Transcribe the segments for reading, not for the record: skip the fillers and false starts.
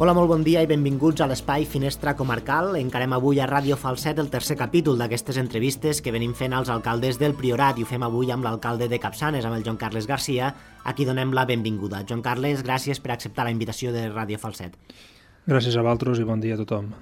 Hola, molt bon dia i benvinguts a l'espai Finestra Comarcal. Encarem avui a Ràdio Falset el tercer capítol d'aquestes entrevistes que venim fent als alcaldes del Priorat i ho fem avui amb l'alcalde de Capçanes, amb el Joan Carles Garcia, a qui donem la benvinguda. Joan Carles, gràcies per acceptar la invitació de Ràdio Falset. Gràcies a vosaltres i bon dia a tothom.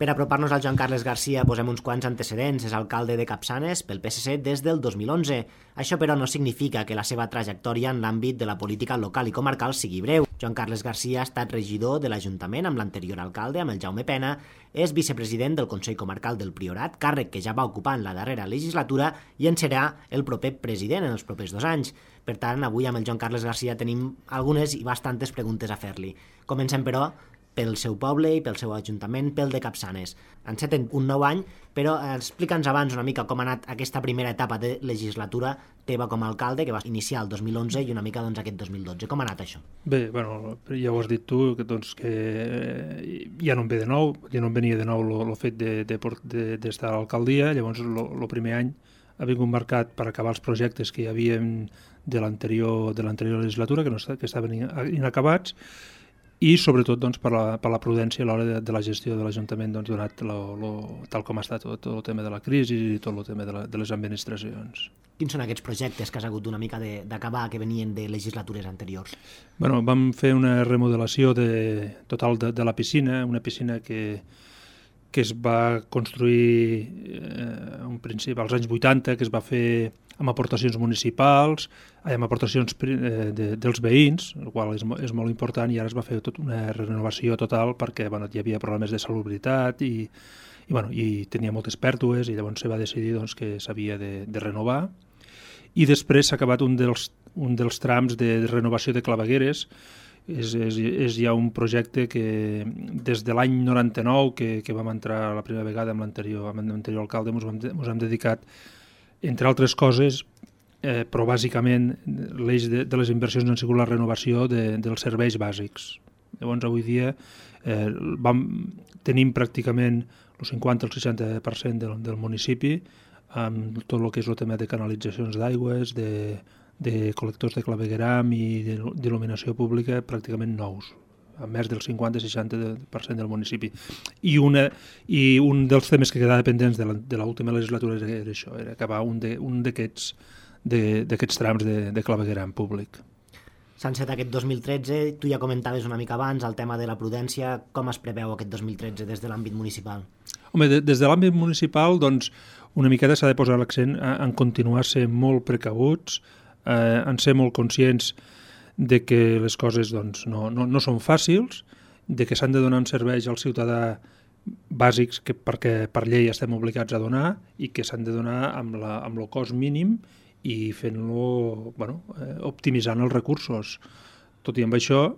Per apropar-nos al Joan Carles Garcia posem uns quants antecedents. És alcalde de Capçanes pel PSC des del 2011. Això, però, no significa que la seva trajectòria en l'àmbit de la política local i comarcal sigui breu. Joan Carles Garcia ha estat regidor de l'Ajuntament amb l'anterior alcalde, amb el Jaume Pena, és vicepresident del Consell Comarcal del Priorat, càrrec que ja va ocupar en la darrera legislatura i en serà el proper president en els propers 2 anys. Per tant, avui amb el Joan Carles Garcia tenim algunes i bastantes preguntes a fer-li. Comencem, però, pel seu poble i pel seu ajuntament, pel de Capçanes. Enceten un nou any, però explica'ns abans una mica com ha anat aquesta primera etapa de legislatura teva com a alcalde, que va iniciar el 2011 i una mica aquest 2012. Com ha anat això? Bé, ja ho has dit tu, que ja no em ve de nou, ja no em venia de nou el fet d'estar a l'alcaldia. Llavors, el primer any ha vingut marcat per acabar els projectes que hi havia de l'anterior legislatura, que estaven inacabats, i sobretot per la prudència a l'hora de la gestió de l'Ajuntament, donat tal com ha estat tot el tema de la crisi i tot el tema de les administracions. Quins són aquests projectes que has hagut una mica d'acabar, que venien de legislatures anteriors? Vam fer una remodelació total de la piscina, una piscina que es va construir en principi als anys 80, que es va fer amb aportacions municipals, amb aportacions dels veïns, el qual és molt important, i ara es va fer tota una renovació total perquè hi havia problemes de salubritat i tenia moltes pèrdues, i llavors se va decidir que s'havia de renovar. I després s'ha acabat un dels trams de renovació de clavegueres. És ja un projecte que des de l'any 99 que vam entrar la primera vegada amb l'anterior alcalde ens hem dedicat, entre altres coses, però bàsicament l'eix de les inversions ha sigut la renovació dels serveis bàsics. Llavors, avui dia tenim pràcticament el 50 o el 60% del municipi amb tot el que és el tema de canalitzacions d'aigües, de col·lectors de clavegueram i d'il·luminació pública pràcticament nous, a més del 50-60% del municipi. I un dels temes que quedava pendents de l'última legislatura era això, era acabar un d'aquests trams de clavegueram públic. S'ha encetat aquest 2013, tu ja comentaves una mica abans el tema de la prudència. Com es preveu aquest 2013 des de l'àmbit municipal? Home, des de l'àmbit municipal, una miqueta s'ha de posar l'accent en continuar sent molt precabuts, en ser molt conscients de que les coses no són fàcils, de que s'han de donar serveis al ciutadà bàsics perquè per llei estem obligats a donar i que s'han de donar amb el cost mínim i fent-lo, optimitzant els recursos. Tot i amb això,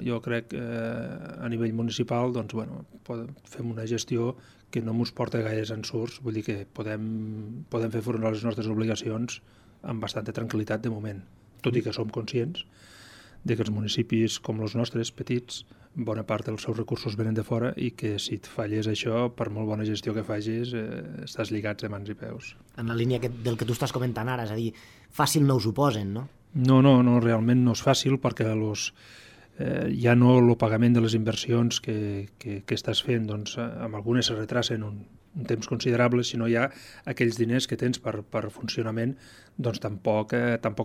jo crec que a nivell municipal fem una gestió que no ens porta gaires ensurts, vull dir que podem fer front a les nostres obligacions amb bastanta tranquil·litat de moment, tot i que som conscients de que els municipis com els nostres, petits, bona part dels seus recursos venen de fora i que si et falles això, per molt bona gestió que facis, estàs lligats de mans i peus. En la línia del que tu estàs comentant ara, és a dir, fàcil no us ho posen, no? No, realment no és fàcil perquè ja no el pagament de les inversions que estàs fent, amb algunes se retracen un temps considerable, sinó ja aquells diners que tens per funcionament tampoc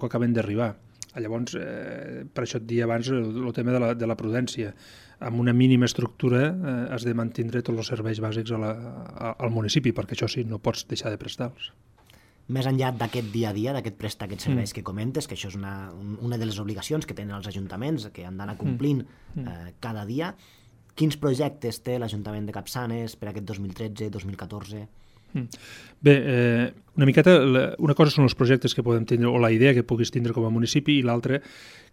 acaben d'arribar. Llavors, per això et dia abans el tema de la prudència. Amb una mínima estructura has de mantindre tots els serveis bàsics al municipi, perquè això sí, no pots deixar de prestar-los. Més enllà d'aquest dia a dia, d'aquest prestar aquests serveis que comentes, que això és una de les obligacions que tenen els ajuntaments, que han d'anar complint cada dia, quins projectes té l'Ajuntament de Capçanes per aquest 2013-2014? Bé, una cosa són els projectes que podem tindre, o la idea que puguis tindre com a municipi, i l'altra,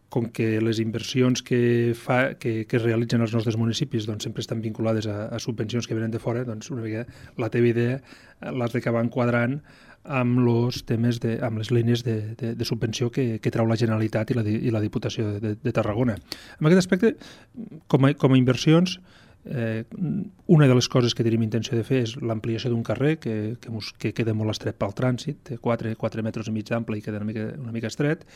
com que les inversions que es realitzen als nostres municipis sempre estan vinculades a subvencions que venen de fora, una mica la teva idea l'has d'acabar enquadrant amb els temes amb les línies de subvenció que treu la Generalitat i la Diputació de Tarragona. En aquest aspecte, com a inversions, una de les coses que tenim intenció de fer és l'ampliació d'un carrer que queda molt estret pel trànsit, té 4 metres i mig d'ample i queda una mica estret.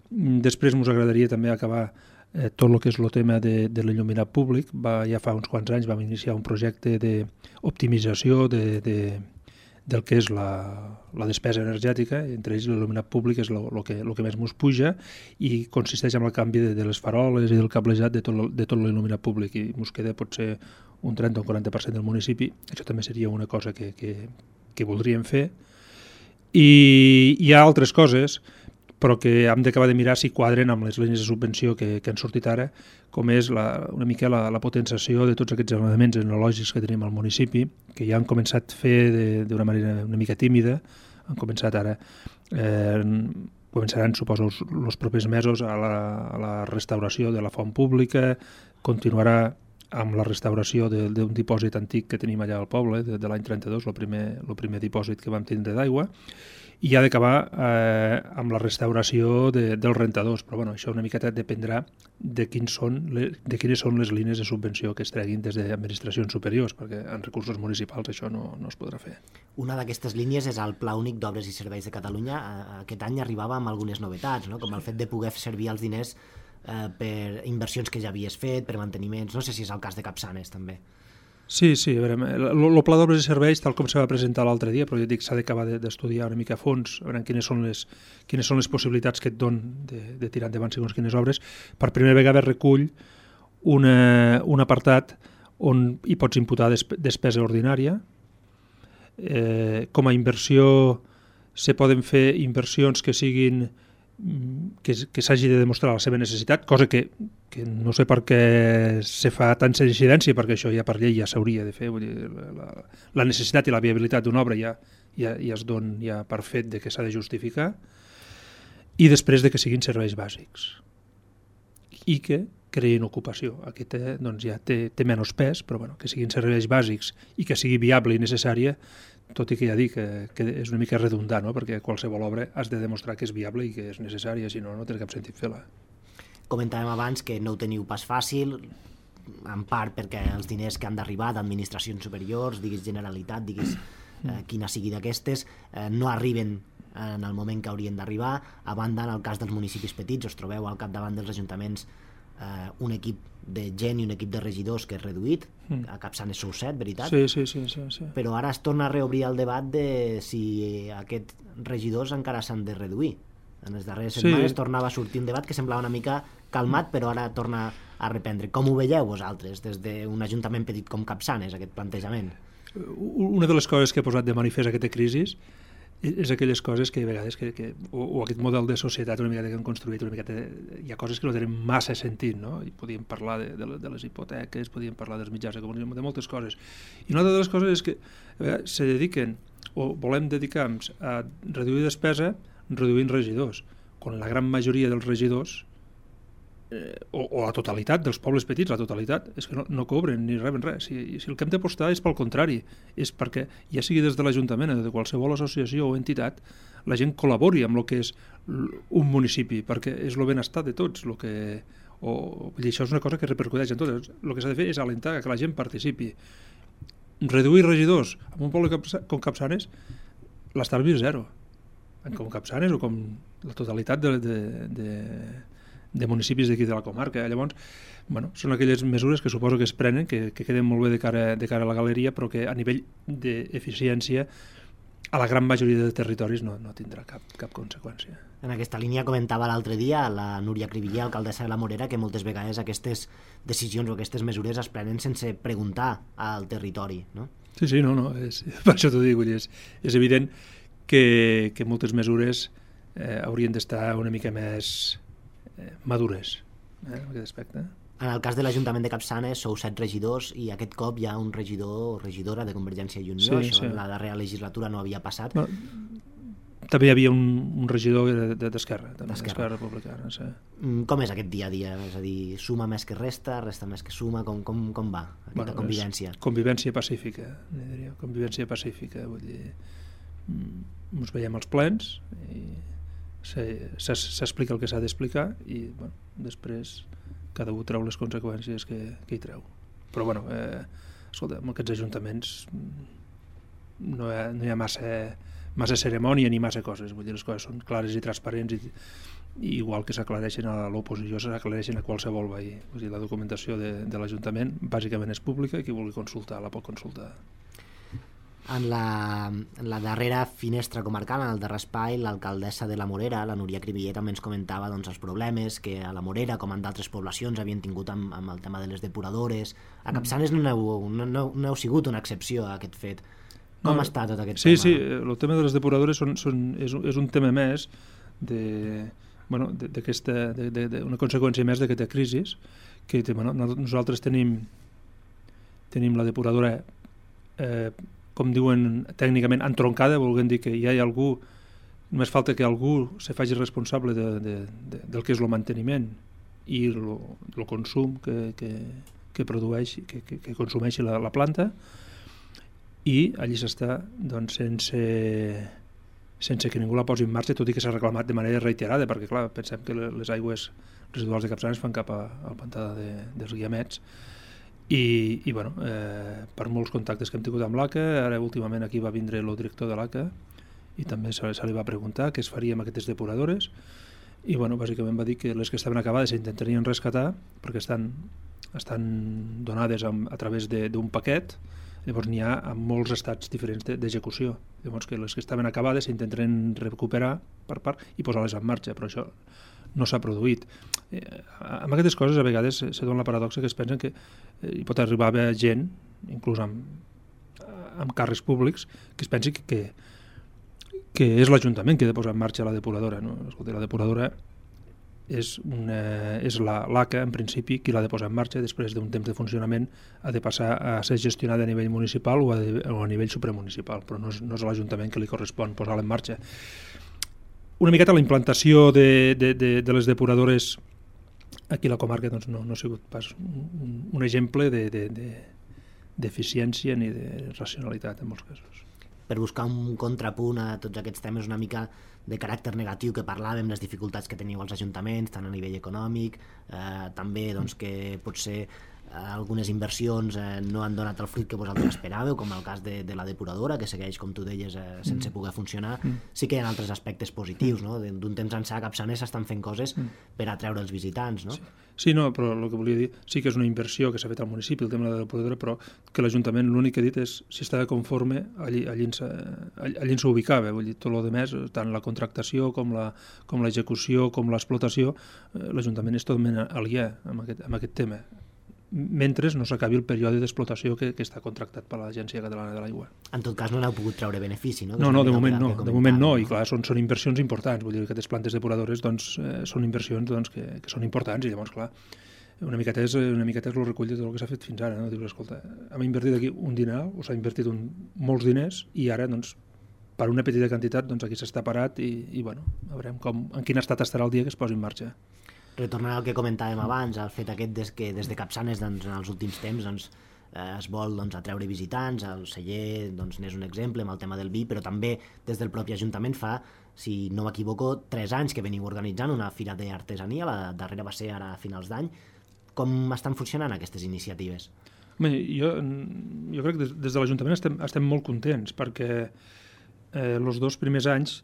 Després ens agradaria també acabar tot el que és el tema de l'il·luminat públic. Ja fa uns quants anys vam iniciar un projecte d'optimització del que és la despesa energètica, entre ells l'il·luminat públic és el que més ens puja i consisteix en el canvi de les faroles i del cablejat de tot l'il·luminat públic, i ens queda potser un 30 o un 40% del municipi. Això també seria una cosa que voldríem fer. I hi ha altres coses, però que hem d'acabar de mirar si quadren amb les línies de subvenció que han sortit ara, com és una mica la potenciació de tots aquests elements etnològics que tenim al municipi, que ja han començat a fer d'una manera una mica tímida, han començat ara, començaran, suposo, els propers mesos a la restauració de la font pública, continuarà amb la restauració d'un dipòsit antic que tenim allà al poble, de l'any 32, el primer dipòsit que vam tindre d'aigua, i ha d'acabar amb la restauració dels rentadors, però bueno, això una miqueta dependrà de quines són les línies de subvenció que es treguin des d'administracions superiors, perquè en recursos municipals això no es podrà fer. Una d'aquestes línies és el Pla Únic d'Obres i Serveis de Catalunya. Aquest any arribava amb algunes novetats, no? Com el fet de poder servir els diners per inversions que ja havies fet, per manteniments. No sé si és el cas de Capçanes, també. Sí, a veure, el Pla d'Obres i Serveis, tal com se va presentar l'altre dia, però jo dic s'ha d'acabar d'estudiar una mica a fons, a veure quines són les possibilitats que et donen de tirar endavant segons quines obres. Per primera vegada recull un apartat on hi pots imputar despesa ordinària. Com a inversió se poden fer inversions que siguin que s'hagi de demostrar la seva necessitat, cosa que no sé per què se fa tanta incidència, perquè això ja per llei ja s'hauria de fer. Vull dir, la necessitat i la viabilitat d'una obra ja es dona ja per fet de que s'ha de justificar, i després de que siguin serveis bàsics i que creïn ocupació. Aquest doncs, ja té menys pes, però bueno, que siguin serveis bàsics i que sigui viable i necessària, tot i que ja dic que és una mica redundant, no? Perquè qualsevol obra has de demostrar que és viable i que és necessària, si no, no té cap sentit fer-la. Comentàvem abans que no ho teniu pas fàcil, en part perquè els diners que han d'arribar d'administracions superiors, diguis Generalitat, diguis quina sigui d'aquestes, no arriben en el moment que haurien d'arribar. A banda, en el cas dels municipis petits, us trobeu al capdavant dels ajuntaments un equip de gent i un equip de regidors que és reduït. A Capçanes sou 7, veritat? Sí. Però ara es torna a reobrir el debat de si aquests regidors encara s'han de reduir. En les darreres setmanes tornava a sortir un debat que semblava una mica calmat, però ara torna a reprendre. Com ho veieu vosaltres des d'un ajuntament petit com Capçanes, aquest plantejament? Una de les coses que ha posat de manifest aquesta crisi és aquelles coses que a vegades o aquest model de societat una miqueta que han construït, una miqueta, hi ha coses que no tenen massa sentit, no? I podíem parlar de les hipoteques, podíem parlar dels mitjans de comunicació, de moltes coses. I una altra de les coses és que se dediquen, o volem dedicar-nos a reduir despesa reduint regidors, quan la gran majoria dels regidors o la totalitat dels pobles petits, la totalitat, és que no cobren ni reben res. Si el que hem d'apostar és pel contrari, és perquè, ja sigui des de l'Ajuntament o de qualsevol associació o entitat, la gent col·labori amb el que és un municipi, perquè és el benestar de tots. I això és una cosa que repercuteix en tot. El que s'ha de fer és alentar que la gent participi. Reduir regidors en un poble com Capçanes, l'estalvi és zero. Com Capçanes o com la totalitat de municipis d'aquí de la comarca. Llavors, bueno, són aquelles mesures que suposo que es prenen, que queden molt bé de cara a la galeria, però que a nivell d'eficiència a la gran majoria de territoris no tindrà cap conseqüència. En aquesta línia comentava l'altre dia la Núria Cribiller, alcaldessa de la Morera, que moltes vegades aquestes decisions o aquestes mesures es prenen sense preguntar al territori, no? Sí, no, per això t'ho dic, és evident que moltes mesures haurien d'estar una mica més madures en aquest aspecte. En el cas de l'Ajuntament de Capçanes sou 7 regidors i aquest cop hi ha un regidor o regidora de Convergència i Unió. Això en la darrera legislatura no havia passat. També hi havia un regidor d'Esquerra Republicana. Sí. Com és aquest dia a dia? És a dir, suma més que resta més que suma? Com va aquesta convivència? Convivència pacífica, diria. Convivència pacífica, vull dir, ens veiem als plens i s'explica el que s'ha d'explicar i després cada un treu les conseqüències que hi treu. Però escolta, en aquests ajuntaments no hi ha massa cerimònia ni massa coses, vull dir, les coses són clares i transparents igual que s'aclareixen a l'oposició, s'aclareixen a qualsevol veí. O sigui, la documentació de l'Ajuntament bàsicament és pública i qui vulgui consultar la pot consultar. En la darrera finestra comarcal, en el darrer espai, l'alcaldessa de la Morera, la Núria Cribiller, també ens comentava doncs, els problemes que a la Morera, com en d'altres poblacions, havien tingut amb el tema de les depuradores. A Capçanes no heu sigut una excepció a aquest fet. Com està tot aquest tema? Sí, el tema de les depuradores és un tema més una conseqüència més d'aquesta crisi, que nosaltres tenim la depuradora com diuen tècnicament, entroncada, volent dir que ja hi ha algú, només falta que algú se faci responsable del que és el manteniment i el consum que produeix, que consumeixi la planta, i allí s'està doncs, sense que ningú la posi en marxa, tot i que s'ha reclamat de manera reiterada, perquè clar, pensem que les aigües residuals de Capçanes fan cap al pantà dels Guiamets, i per molts contactes que hem tingut amb l'ACA, ara últimament aquí va vindre el director de l'ACA i també se li va preguntar què es faria amb aquestes depuradores, i bàsicament va dir que les que estaven acabades s'intentarien rescatar perquè estan donades a través d'un paquet. Llavors n'hi ha en molts estats diferents d'execució. Llavors que les que estaven acabades s'intentarien recuperar per part i posar-les en marxa, però això no s'ha produït. Amb aquestes coses a vegades se dona la paradoxa que es pensen que hi pot arribar a haver gent, inclús amb càrrecs públics, que es pensi que és l'Ajuntament qui ha de posar en marxa la depuradora. No? Escolta, la depuradora és l'ACA, en principi, qui l'ha de posar en marxa. Després d'un temps de funcionament ha de passar a ser gestionada a nivell municipal o a nivell supramunicipal, però no és a l'Ajuntament que li correspon posar-la en marxa. Una miqueta la implantació de les depuradores aquí a la comarca doncs, no ha sigut pas un exemple d'eficiència ni de racionalitat en molts casos. Per buscar un contrapunt a tots aquests temes una mica de caràcter negatiu que parlàvem, les dificultats que teniu als ajuntaments, tant a nivell econòmic, també doncs, que potser algunes inversions no han donat el fruit que vosaltres esperàveu, com el cas de la depuradora, que segueix, com tu deies, sense poder funcionar. Sí que hi ha altres aspectes positius, no? D'un temps ençà a Capçanes s'estan fent coses per atreure els visitants, no? Sí, no, però el que volia dir, sí que és una inversió que s'ha fet al municipi, el tema de la depuradora, però que l'Ajuntament l'únic que ha dit és si estava conforme, allí ens ubicava, vull dir, tot el demés, tant la contractació com l'execució com l'explotació, l'Ajuntament és totalment aliè amb aquest tema, mentre no s'acabi el període d'explotació que està contractat per l'Agència Catalana de l'Aigua. En tot cas no n'heu pogut treure benefici, no? No, de moment no, i clar, són inversions importants, vull dir que aquestes plantes depuradores doncs, són inversions doncs, que són importants, i llavors, clar, una miqueta és el recull de tot el que s'ha fet fins ara, no? Dius, escolta, hem invertit aquí un dineral, o s'ha invertit molts diners, i ara, doncs, per una petita quantitat, doncs aquí s'està parat, i bueno, veurem en quin estat estarà el dia que es posi en marxa. Retornant al que comentàvem abans, el fet aquest que des de Capçanes doncs, en els últims temps doncs, es vol doncs, atreure visitants, el celler doncs, n'és un exemple amb el tema del vi, però també des del propi Ajuntament fa, si no m'equivoco, 3 anys que veniu organitzant una fira d'artesania, la darrera va ser ara a finals d'any. Com estan funcionant aquestes iniciatives? Bé, jo crec que des de l'Ajuntament estem molt contents, perquè els 2 primers anys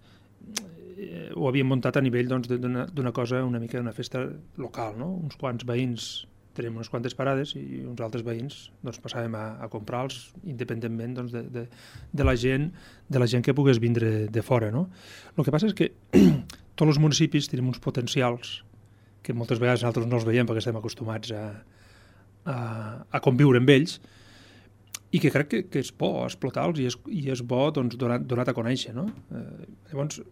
ho havíem muntat a nivell doncs, d'una cosa, una mica d'una festa local, no? Uns quants veïns tenim unes quantes parades i uns altres veïns doncs, passàvem a comprar-los independentment doncs, de la gent que pogués vindre de fora. No? El que passa és que tots els municipis tenim uns potencials que moltes vegades nosaltres no els veiem perquè estem acostumats a conviure amb ells, i que crec que és bo explotar-los i és bo doncs, donar a conèixer. No? Llavors,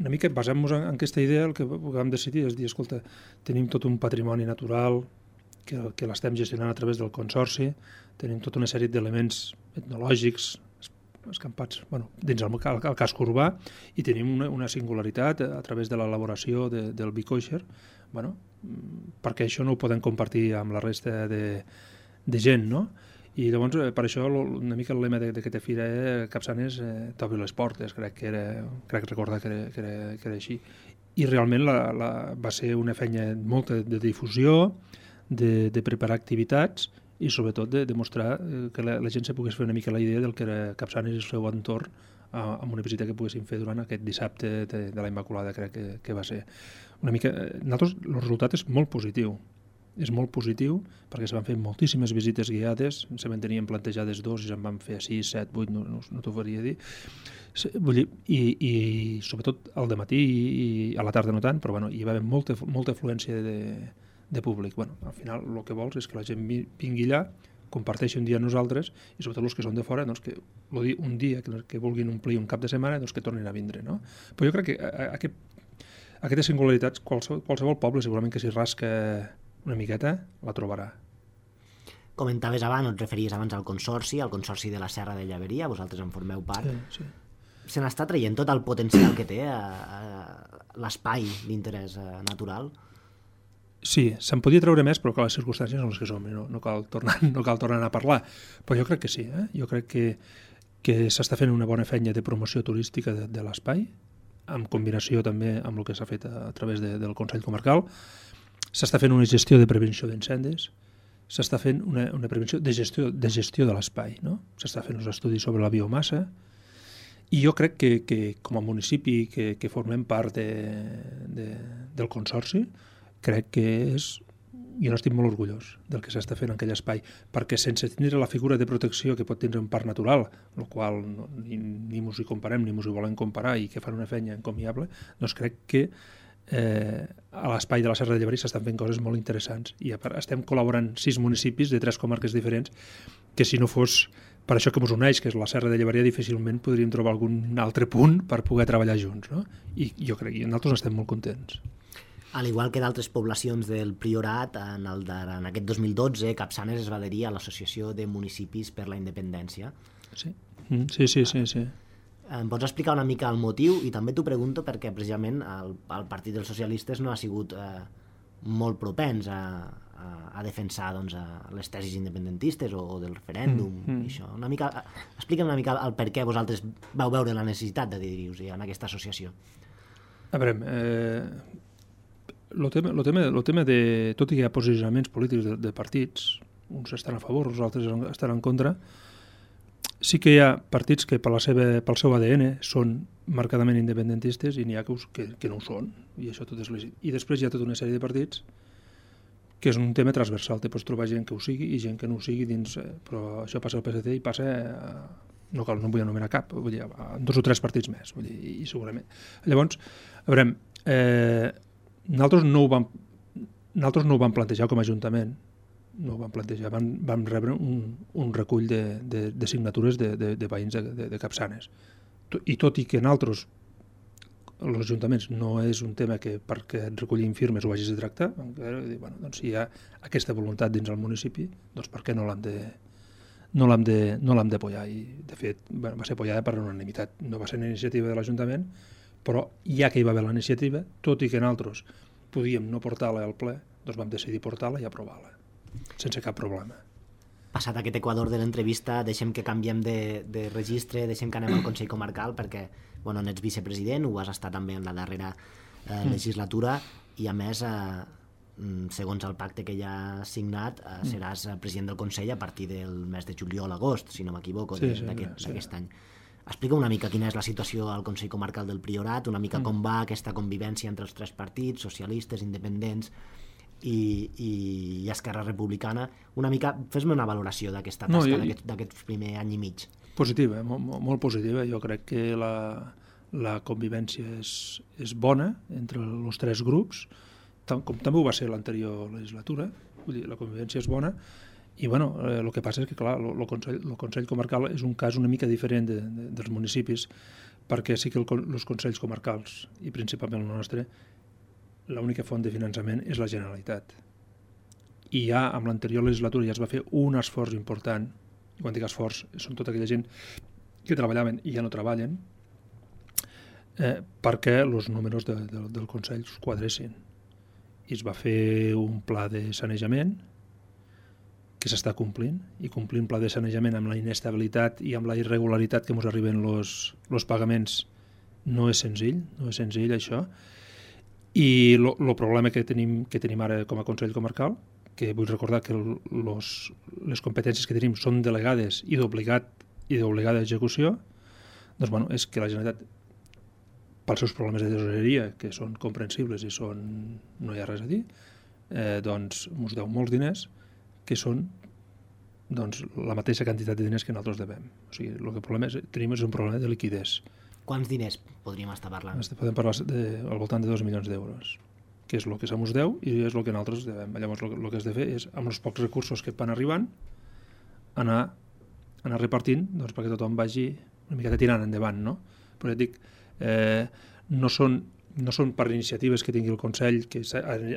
una mica basant-nos en aquesta idea, el que vam decidir és dir, escolta, tenim tot un patrimoni natural que l'estem gestionant a través del Consorci, tenim tota una sèrie d'elements etnològics escampats dins el casc urbà, i tenim una singularitat a través de l'elaboració del vi kosher, perquè això no ho podem compartir amb la resta de gent, no? I llavors, per això, una mica el lema d'aquesta fira Capçanes t'obri les portes, crec recordar que era així. I realment va ser una feina molta de difusió, de preparar activitats i sobretot de demostrar que la gent se pogués fer una mica la idea del que era Capçanes i el seu entorn amb una visita que poguessin fer durant aquest dissabte de la Immaculada, crec que va ser. Nosaltres, el resultat és molt positiu. És molt positiu perquè se van fer moltíssimes visites guiades, se van tenien plantejades 2 i se'n van fer 6, 7, 8, no t'ho faria dir. Vull dir, i sobretot al dematí i a la tarda no tant, però hi va haver molta afluència de públic. Al final el que vols és que la gent vingui allà, comparteixi un dia amb nosaltres i sobretot els que són de fora, que un dia que vulguin omplir un cap de setmana, que tornin a vindre. No? Però jo crec que aquestes singularitats qualsevol poble segurament que s'hi rasca una miqueta la trobarà. Comentaves abans, et referies abans al Consorci de la Serra de Llaveria, vosaltres en formeu part. Sí. Se n'està traient tot el potencial que té l'espai d'interès natural? Sí, se'n podia treure més, però que les circumstàncies són les que som, no cal tornar a parlar. Però jo crec que sí, jo crec que s'està fent una bona feina de promoció turística de l'espai, en combinació també amb el que s'ha fet a través del Consell Comarcal. S'està fent una gestió de prevenció d'incendis, s'està fent una prevenció de gestió de l'espai, no? S'està fent uns estudis sobre la biomassa, i jo crec que com a municipi que formem part del Consorci, crec que jo n'estic molt orgullós del que s'està fent en aquell espai, perquè sense tenir la figura de protecció que pot tenir un parc natural, el qual ni mos hi comparem ni mos hi volem comparar i que fan una feina encomiable, doncs crec que a l'espai de la Serra de Llaveria s'estan fent coses molt interessants i estem col·laborant 6 municipis de 3 comarques diferents que si no fos per això que ens uneix, que és la Serra de Llaveria, difícilment podríem trobar algun altre punt per poder treballar junts, no? I jo crec que nosaltres estem molt contents. Al igual que d'altres poblacions del Priorat, en aquest 2012 Capçanes es va adherir a l'Associació de Municipis per la Independència. Sí. Em pots explicar una mica el motiu? I també t'ho pregunto perquè precisament el Partit dels Socialistes no ha sigut molt propens a defensar les tesis independentistes o del referèndum. I això. Explica'm una mica el per què vosaltres vau veure la necessitat d'adherir-vos en aquesta associació. A veure, el tema de... Tot i que hi ha posicionaments polítics de partits, uns estan a favor, els altres estan en contra, sí que hi ha partits que pel seu ADN són marcadament independentistes i n'hi ha que no ho són, i això tot és legítim. I després hi ha tota una sèrie de partits que és un tema transversal, te pots trobar gent que ho sigui i gent que no ho sigui dins, però això passa al PSC i passa, no vull anomenar cap, vull dir, 2 o 3 partits més, vull dir, i segurament. Llavors, a veure, nosaltres no ho vam plantejar com a Ajuntament, no ho vam plantejar, vam rebre un recull de signatures de veïns de Capçanes. I tot i que nosaltres, els ajuntaments, no és un tema que perquè et recollim firmes ho hagis de tractar, doncs si hi ha aquesta voluntat dins el municipi, doncs per què no l'hem d'apoyar? I de fet va ser apoyada per unanimitat. No va ser una iniciativa de l'Ajuntament, però ja que hi va haver la iniciativa, tot i que nosaltres podíem no portar-la al ple, doncs vam decidir portar-la i aprovar-la sense cap problema. Passat aquest equador de l'entrevista, deixem que canviem de registre, deixem que anem al Consell Comarcal, perquè n'ets vicepresident, ho has estat també en la darrera legislatura, i a més, segons el pacte que ja has signat, seràs president del Consell a partir del mes de juliol-agost, si no m'equivoco, d'aquest any. Explica una mica quina és la situació al Consell Comarcal del Priorat, una mica com va aquesta convivència entre els 3 partits, socialistes, independents i Esquerra Republicana. Una mica, fes-me una valoració d'aquesta tasca d'aquest primer any i mig. Positiva, molt positiva. Jo crec que la convivència és bona entre els 3 grups, com també ho va ser l'anterior legislatura. Vull dir, la convivència és bona. I el que passa és que, clar, el Consell Comarcal és un cas una mica diferent dels municipis, perquè sí que els Consells Comarcals, i principalment el nostre, l'única font de finançament és la Generalitat. I ja amb l'anterior legislatura ja es va fer un esforç important, i quan dic esforç són tota aquella gent que treballaven i ja no treballen, perquè els números del Consell es quadressin. I es va fer un pla de sanejament que s'està complint, i complir un pla de sanejament amb la inestabilitat i amb la irregularitat que ens arriben els pagaments no és senzill això. I el problema que tenim ara com a Consell Comarcal, que vull recordar que les competències que tenim són delegades i d'obligada execució, doncs és que la Generalitat pels seus problemes de tesoreria, que són comprensibles i no hi ha res a dir, doncs ens deu molts diners que són doncs, la mateixa quantitat de diners que nosaltres devem. O sigui, el que tenim és un problema de liquidez. Quants diners podríem estar parlant? Podem parlar al voltant de 2 milions d'euros, que és el que se'ns deu i és el que nosaltres devem. Llavors, el que has de fer és, amb els pocs recursos que van arribant, anar repartint doncs, perquè tothom vagi una miqueta tirant endavant, no? Però ja et dic, no són per iniciatives que tingui el Consell que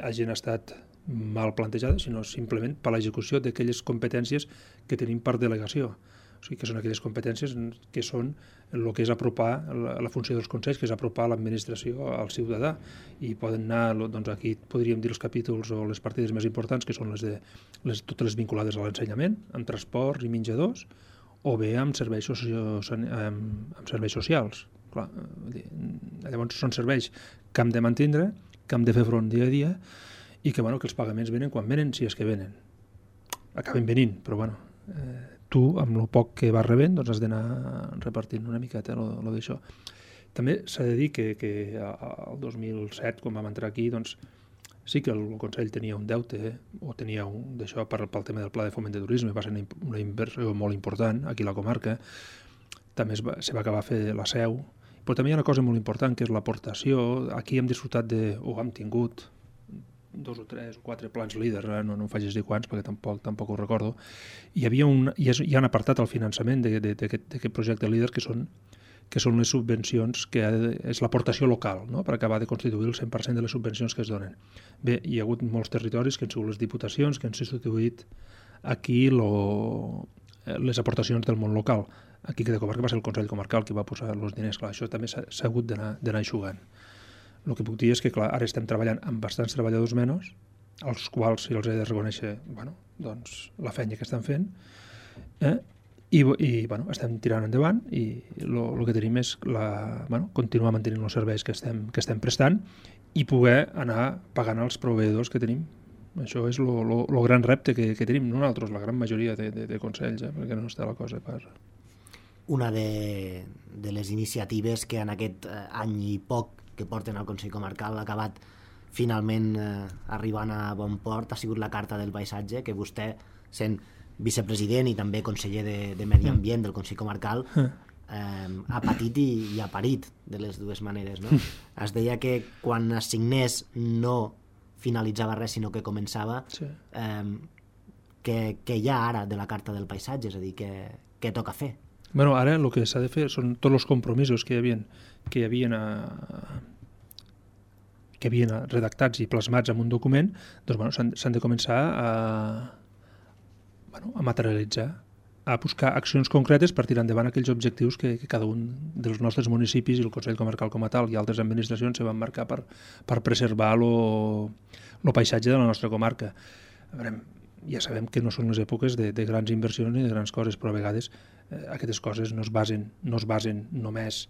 hagin estat mal plantejades, sinó simplement per l'execució d'aquelles competències que tenim per delegació. O sigui, que són aquelles competències que són el que és apropar la funció dels consells, que és apropar l'administració al ciutadà, i poden anar, doncs aquí podríem dir els capítols o les partides més importants, que són totes les vinculades a l'ensenyament, amb transports i menjadors, o bé amb serveis socials. Clar, llavors són serveis que hem de mantindre, que hem de fer front dia a dia, i que els pagaments venen quan venen, si és que venen. Acaben venint, però tu, amb el poc que vas rebent, doncs has d'anar repartint una miqueta lo d'això. També s'ha de dir que el 2007, quan vam entrar aquí, doncs sí que el Consell tenia un deute, o tenia d'això pel tema del Pla de Foment de Turisme, va ser una inversió molt important aquí a la comarca. També se va acabar a fer la seu, però també hi ha una cosa molt important, que és l'aportació. Aquí hem disfrutat hem tingut 2 o 3 o 4 plans líders, no em facis dir quants perquè tampoc ho recordo. Hi ha un apartat al finançament d'aquest projecte líder que són les subvencions, que és l'aportació local, no? Per acabar de constituir el 100% de les subvencions que es donen. Bé, hi ha hagut molts territoris que han sigut les diputacions que han substituït aquí les aportacions del món local. Aquí cada comarca va ser el Consell Comarcal que va posar els diners. Clar, això també s'ha hagut d'anar eixugant. El que puc dir és que, clar, ara estem treballant amb bastants treballadors menys, als quals els he de reconèixer doncs, la feina que estan fent, i estem tirant endavant, i el que tenim és continuar mantenint els serveis que estem prestant i poder anar pagant els proveïdors que tenim. Això és el gran repte que tenim nosaltres, la gran majoria de consells, perquè no està la cosa per... Una de les iniciatives que en aquest any i poc que porten al Consell Comarcal ha acabat finalment arribant a bon port ha sigut la Carta del Paisatge, que vostè, sent vicepresident i també conseller de Medi Ambient del Consell Comarcal, ha patit i ha parit de les dues maneres, no? Es deia que quan es signés no finalitzava res, sinó que començava. Sí. Què hi ha ara de la Carta del Paisatge? És a dir, què toca fer? Ara el que s'ha de fer són tots els compromisos que hi havien redactats i plasmats en un document, doncs s'han de començar a materialitzar, a buscar accions concretes per tirar endavant aquells objectius que cada un dels nostres municipis i el Consell Comarcal com a tal i altres administracions se van marcar per preservar el paisatge de la nostra comarca. Ja sabem que no són les èpoques de grans inversions ni de grans coses, però a vegades aquestes coses no es basen només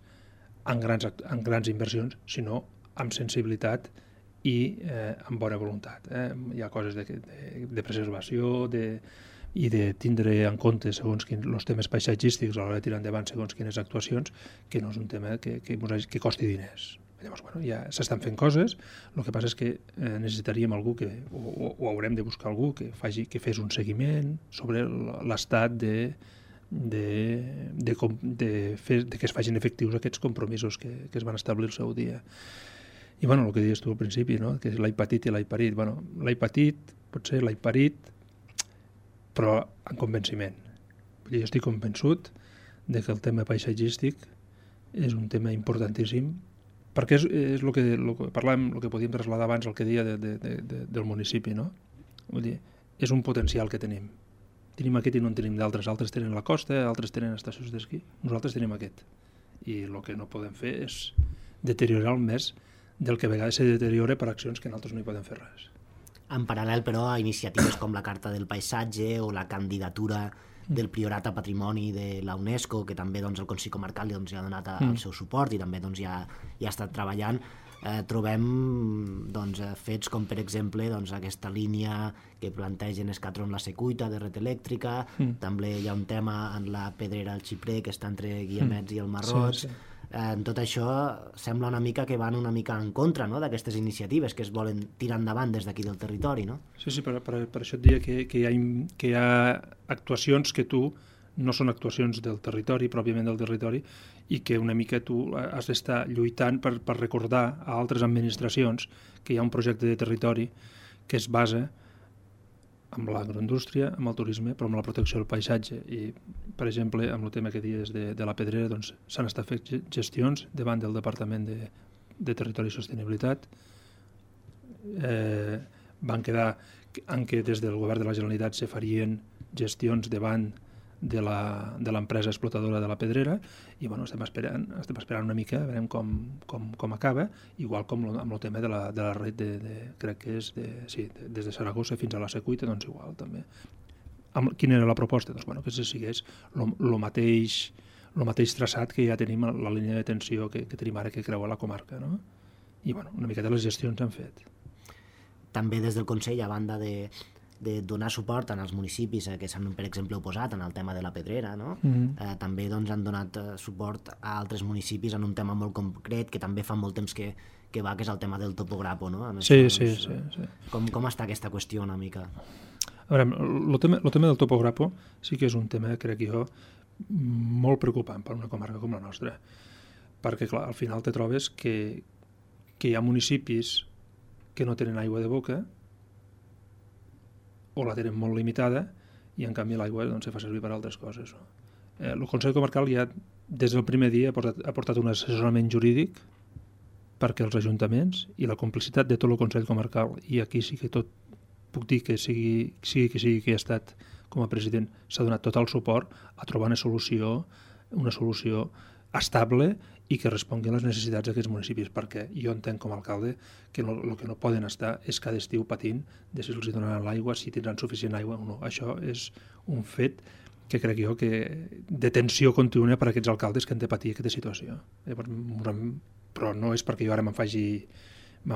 en grans inversions, sinó amb sensibilitat i amb bona voluntat. Hi ha coses de preservació i de tindre en compte segons els temes paisatgístics a l'hora de tirar endavant segons quines actuacions, que no és un tema que costi diners. Llavors, ja s'estan fent coses, el que passa és que necessitaríem algú o haurem de buscar algú que fes un seguiment sobre l'estat de que es facin efectius aquests compromisos que es van establir el seu dia. I el que deies tu al principi, no? Que és l'he patit i l'he parit. L'he patit, potser l'he parit, però amb convenciment. Jo estic convençut de que el tema paisatgístic és un tema importantíssim, perquè és el que parlàvem, el que podíem traslladar abans, el que deia del municipi, no? Vull dir, és un potencial que tenim. Tenim aquest i no en tenim d'altres. Altres tenen la costa, altres tenen estacions d'esquí. Nosaltres tenim aquest. I el que no podem fer és deteriorar més del que a vegades se deteriora per accions que nosaltres no hi podem fer res. En paral·lel, però, a iniciatives com la Carta del Paisatge o la candidatura del Priorat a Patrimoni de la UNESCO, que també el Consell Comarcal hi ha donat el seu suport i també hi ha estat treballant, trobem fets com, per exemple, aquesta línia que plantegen Escatron la Secuita de red elèctrica, també hi ha un tema en la Pedrera al Xiprer que està entre Guiamets i el Marroig, En tot això sembla una mica que van una mica en contra, no?, d'aquestes iniciatives que es volen tirar endavant des d'aquí del territori, no? Sí, per això et diria que hi ha actuacions que tu no són actuacions del territori, pròpiament del territori, i que una mica tu has d'estar lluitant per recordar a altres administracions que hi ha un projecte de territori que es basa amb l'agroindústria, amb el turisme, però amb la protecció del paisatge. I, per exemple, amb el tema que dius de la Pedrera, doncs, s'han estat fet gestions davant del Departament de Territori i Sostenibilitat. Van quedar en què des del govern de la Generalitat se farien gestions davant de l'empresa explotadora de la Pedrera i bueno, estem esperant una mica, veurem com acaba, igual com amb el tema de la red crec que és des de Saragossa fins a la Secuita, doncs igual també. Quina era la proposta? Doncs bueno, que se sigués el mateix traçat que ja tenim a la línia de tensió que tenim ara que creua la comarca, no? I bueno, una miqueta les gestions s'han fet. També des del Consell, a banda de donar suport als municipis que s'han, per exemple, oposat en el tema de la Pedrera, no? També doncs, han donat suport a altres municipis en un tema molt concret que també fa molt temps que va, que és el tema del topograpo, no? Sí. Com està aquesta qüestió una mica? A veure, el tema del topograpo sí que és un tema, crec jo, molt preocupant per una comarca com la nostra, perquè clar, al final te trobes que hi ha municipis que no tenen aigua de boca o la tenen molt limitada i en canvi l'aigua doncs, se fa servir per altres coses. El Consell Comarcal ja des del primer dia ha portat un assessorament jurídic perquè els ajuntaments i la complicitat de tot el Consell Comarcal, i aquí sí que tot puc dir que sigui que he estat com a president, s'ha donat tot el suport a trobar una solució estable i que respongui a les necessitats d'aquests municipis, perquè jo entenc com a alcalde que el que no poden estar és cada estiu patint de si els donaran l'aigua, si tindran suficient aigua o no. Això és un fet que crec jo que de tensió contínua per a aquests alcaldes que han de patir aquesta situació. Però no és perquè jo ara me'n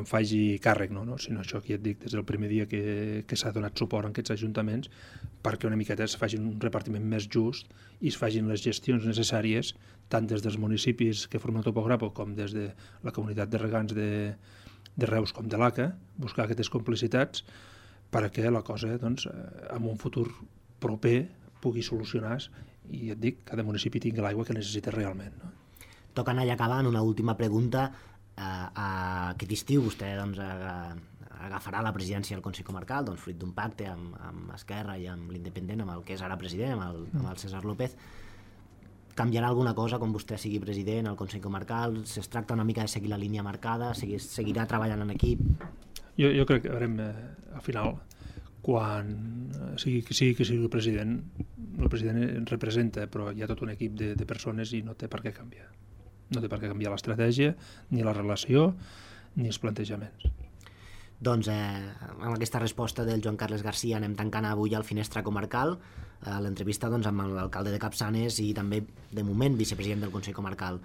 faci càrrec, no? Sinó això que ja et dic des del primer dia que s'ha donat suport a aquests ajuntaments perquè una miqueta es facin un repartiment més just i es facin les gestions necessàries tant des dels municipis que formen el topograpo com des de la comunitat de regants de Reus com de l'ACA, buscar aquestes complicitats perquè la cosa, doncs, en un futur proper pugui solucionar i et dic, cada municipi tingui l'aigua que necessita realment, no? Toca anar ja acabant, una última pregunta. Aquest estiu vostè doncs, agafarà la presidència del Consell Comarcal, doncs, fruit d'un pacte amb Esquerra i amb l'Independent, amb el que és ara president, amb el César López. Canviarà alguna cosa quan vostè sigui president al Consell Comarcal? Es tracta una mica de seguir la línia marcada? Seguirà treballant en equip? Jo crec que al final, quan sigui el president representa, però hi ha tot un equip de persones i no té per què canviar. No té per què canviar l'estratègia, ni la relació, ni els plantejaments. Doncs amb aquesta resposta del Joan Carles Garcia anem tancant avui el Finestra Comarcal, l'entrevista doncs, amb l'alcalde de Capçanes i també, de moment, vicepresident del Consell Comarcal.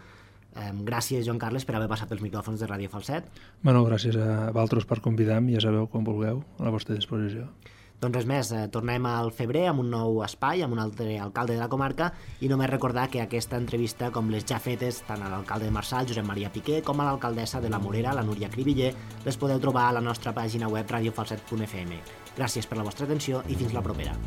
Gràcies, Joan Carles, per haver passat pels micròfons de Ràdio Falset. Bueno, gràcies a vosaltres per convidar-me, ja sabeu, quan vulgueu, a la vostra disposició. Doncs res més, tornem al febrer amb un nou espai, amb un altre alcalde de la comarca, i només recordar que aquesta entrevista, com les ja fetes, tant a l'alcalde de Marçal, Josep Maria Piqué, com a l'alcaldessa de la Morera, la Núria Cribiller, les podeu trobar a la nostra pàgina web radiofalset.fm. Gràcies per la vostra atenció i fins la propera.